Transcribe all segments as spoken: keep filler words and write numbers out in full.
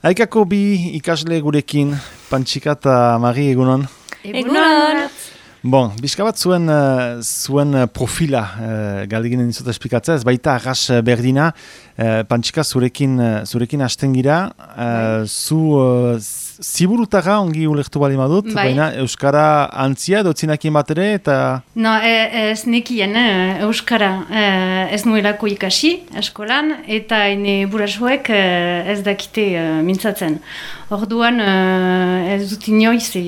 Aikako bi ikasle gurekin, Pantxika eta Mari, egunon? Egunon! Bon, bizka bat zuen, uh, zuen profila uh, galdeginen dizut esplikatzea, ez baita arras berdina, uh, Pantxika zurekin, uh, zurekin hasten gira, uh, zu uh, ziburutara ongi ulertu bali madut, bai. Baina Euskara antzia dotzinakien bat ere, eta... No, e, ez nekien eh, Euskara eh, ez nuelako ikasi eskolan, eta ene burasuek eh, ez dakite eh, mintzatzen. Orduan eh, ez dut inoiz eh,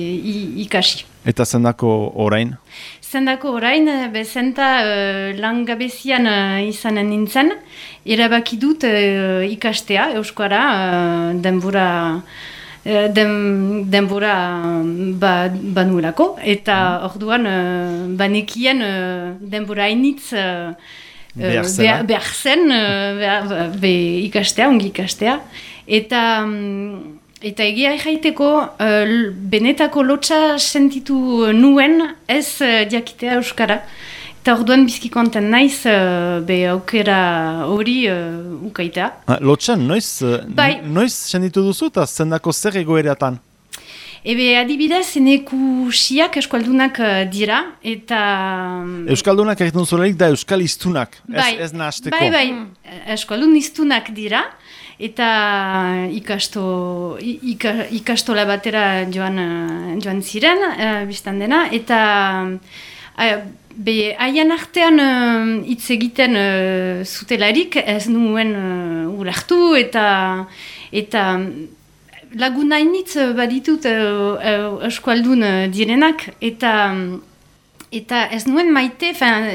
ikasi. Eta zendako orain? Zendako orain, bezenta uh, langabezian uh, izanen nintzen, erabaki dut uh, ikastea, Euskara, uh, denbora, uh, den, denbora ba, banuelako, eta mm. orduan uh, banekien uh, denbora hainitz uh, behar zen, behar zen uh, behar, be, ikastea, ongi ikastea, eta... Um, Eta egia jaiteko, uh, benetako lotsa sentitu nuen ez uh, diakitea Euskara. Eta orduan bizki konten naiz, uh, be aukera hori uh, ukaitea. Ah, lotsan, noiz, bai. noiz sentitu duzu eta zendako zer egoereatan? Ebe adibidez, eneku siak eskaldunak uh, dira, eta... Euskaldunak egiten zuelarik da euskal iztunak, bai, ez, ez nahasteko. Bai, bai, eskaldun iztunak dira, eta ikasto, ika, ikastola batera joan, joan ziren, uh, biztan dena, eta uh, be, haien artean hitz uh, egiten uh, zutelarik ez nuen uh, ulertu, eta... eta Laguna hainitz baditut uh, uh, eskualdun uh, direnak, eta eta ez nuen maite, fin,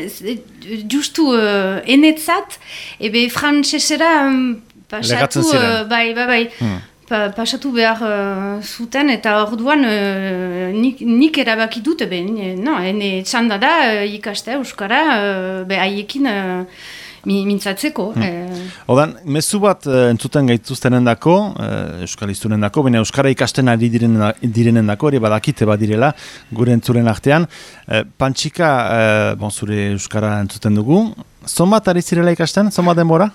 justu uh, enetzat, ebe frantsesera um, pasatu, uh, bai, bai, bai, hmm. pa, pasatu behar uh, zuten, eta orduan uh, nik, nik erabaki dut, be, no, ene txanda da uh, ikastea Euskara, uh, be haiekin... Uh, mintzatzeko. Hmm. Eh. Odan, mezu bat uh, entzuten gaituztenen dako, uh, Euskal iztunen dako, baina Euskara ikasten ari direnen, direnen dako, ere badakite badirela, gure entzuren artean. Uh, Pantxika, uh, bon, zure Euskara entzuten dugu, zonbat ari zirela ikasten, zonbat denbora?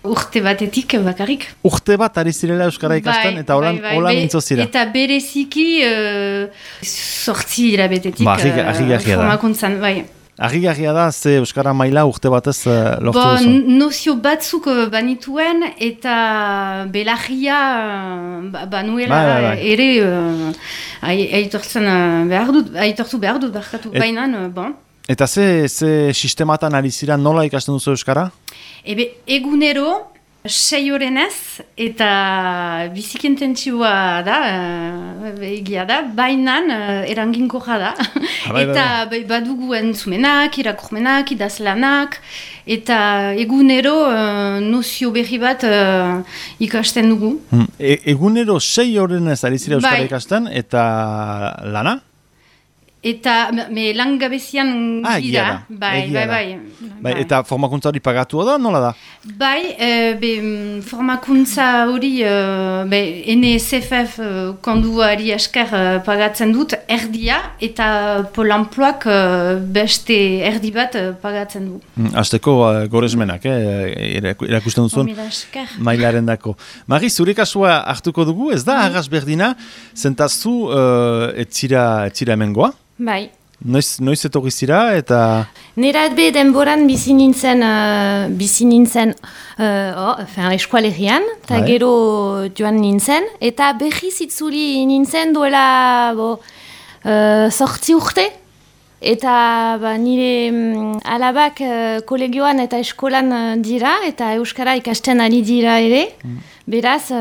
Urte batetik bakarrik. Urte bat ari zirela Euskara ikasten, bai, eta holan bai, bai, mintzo zira. Eta bereziki uh, sortzi irabetetik ba, uh, formakuntzan, bai. Argi-garria da, ze Euskara maila urte batez uh, lortu bon, duzu? Nozio batzuk banituen, eta belarria uh, banuela ba, ba, ba. ere uh, aitortzen uh, behar dut, aitortu behar dut, barkatu, Et, bainan, uh, bon. Eta ze, ze sistematan ari zira nola ikasten duzu Euskara? Ebe, egunero, sei orenez, eta bizikententzioa da, uh, egia da, bainan uh, eranginkorra da. Ah, bai, eta bai, bai. Badugu entzumenak, irakurmenak, idazlanak, eta egunero uh, nozio berri bat uh, ikasten dugu. Hmm. E, egunero sei orenez ari zira Euskara bai. Ikasten, eta lana? Eta me langabezian ah, gira, bai, bai, bai, bai. Bai, eta formakuntza hori pagatua da, nola da? Bai, e, be, formakuntza hori, e, be, N S F F konduari esker pagatzen dut erdia, eta Polanploak beste erdi bat pagatzen du. Hmm, Azteko uh, gorezmenak, eh? Erakusten duzun mailaren dako. Mari, zure kasua hartuko dugu, ez da, mm. arras berdina, zentazu uh, etzira, etzira hemengoa? Bai. Noiz, noiz etorri zira eta... Nerat be denboran bizi nintzen, uh, bizi nintzen uh, oh, eskualerian, eta bai. Gero joan nintzen, eta berriz itzuli nintzen duela bo, uh, sortzi urte, eta ba, nire um, alabak uh, kolegioan eta eskolan uh, dira, eta Euskara ikasten ari dira ere. Mm. Beraz,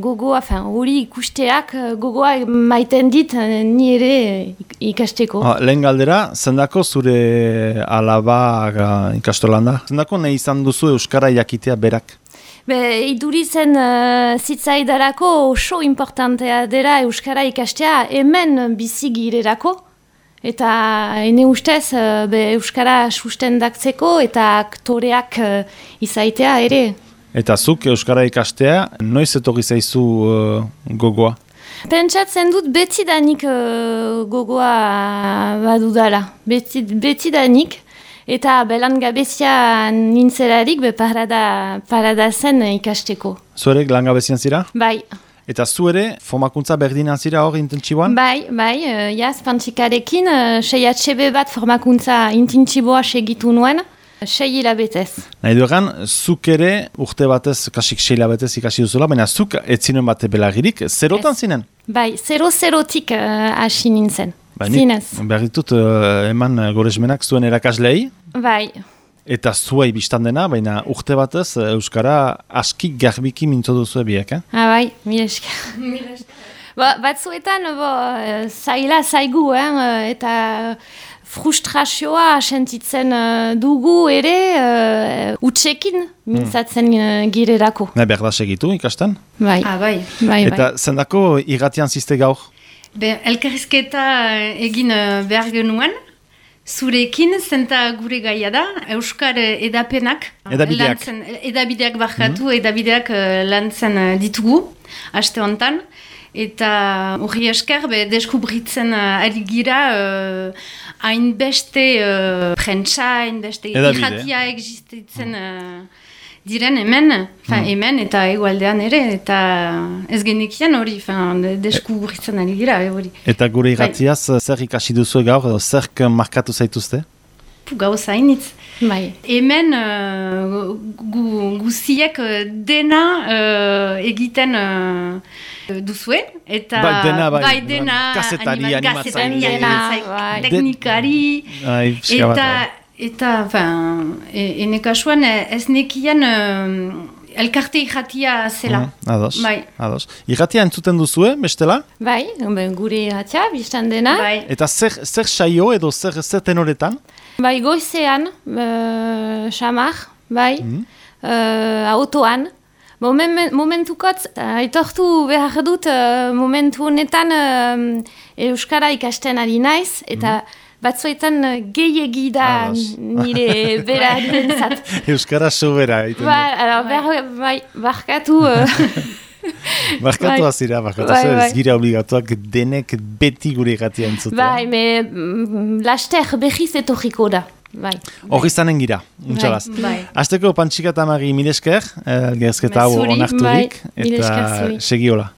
gogoa, hori ikusteak gogoa maiten dit ni ere ikasteko. Ah, lehen galdera, zendako zure alaba ikastolan da? Zendako nahi izan duzu Euskara jakitea berak? Be, iduritzen uh, zitzaidarako oso importantea dela Euskara ikastea hemen bizigirerako. Eta ene ustez be, Euskara sustendatzeko eta aktoreak uh, izaitea ere. Eta zuk Euskara ikastea, noiz etorri zaizu uh, gogoa? Pentsatzen dut betidanik uh, gogoa badudala. Beti, betidanik. Eta belan gabezia nintzelarik be parada, parada zen ikasteko. Zuerek langabezian zira? Bai. Eta zu ere, formakuntza berdina zira hor intentsiboan? Bai, bai, uh, jaz, Pantxikarekin, uh, sei H B bat formakuntza intentsiboa segitu nuen, sei hilabetez. Nahi duegan, zuk ere urte batez, kasik sei hilabetez ikasi duzula, baina zuk etzinen bate belagirik, zerotan yes. zinen? Bai, zero-zerotik uh, hasi nintzen. Ba, zinez. Behar ditut uh, eman goresmenak zuen erakaslei. Bai. Eta zuei biztan dena, baina urte batez Euskara aski garbiki mintzo duzu biek, eh? Ah, bai, mila esker. ba, batzuetan, bo, zaila zaigu, eh, eta frustrazioa sentitzen uh, dugu ere uh, utxekin mintzatzen uh, girerako. Ne, behar da segitu ikasten? Bai. Ah, bai. bai, eta bai. zendako irratian ziste gaur? Be, elkarrizketa egin uh, behar genuen, zurekin, zenta gure gaia da, Euskar edapenak. Edabideak. Lantzen, edabideak barkatu, mm-hmm. edabideak uh, lantzen uh, ditugu, aste hontan. Eta hori esker, be, deskubritzen uh, ari gira uh, hainbeste uh, prentsa, hainbeste irratia existitzen uh, diren hemen, fin, mm. hemen eta egualdean ere, eta ez genekian hori, deskubritzen ari gira hori. Eta gure irratiaz, bai. Zer ikasi duzu gaur, edo zerk markatu zaituzte? Gauza hainitz. Bai. Hemen uh, gu, guziek dena uh, egiten uh, duzue, eta bai, dena, bai, bai, dena kazetari, animatzaile, bai. teknikari, Ai, eta, eta fin, ene kasuan ez nekian uh, elkarte irratia zela. Mm, ados, bai. ados. Irratia entzuten duzue, bestela? Bai, gure irratia, biztan dena. Bai. Eta zer, zer saio edo zer, zer tenoretan? Bai, goizean, uh, xamar, bai, mm. uh, autoan. Moment, momentukot, aitortu behar dut, uh, momentu honetan uh, Euskara ikasten ari naiz, eta mm. batzuetan uh, gehiegi da nire bera direntzat. Euskara sobera. Ba, bai, bai, barkatu... Uh, Barkatu bai. azira, barkatu bai, bai. Ez gira obligatuak denek beti gure irratia entzutea. Bai, me mm, laster behiz etorriko da. Bai. Horri zanen gira, untxalaz. Bai. Azteko Pantxika eta Mari milesker, eh, gerzketa hau onarturik, bai. eta segiola.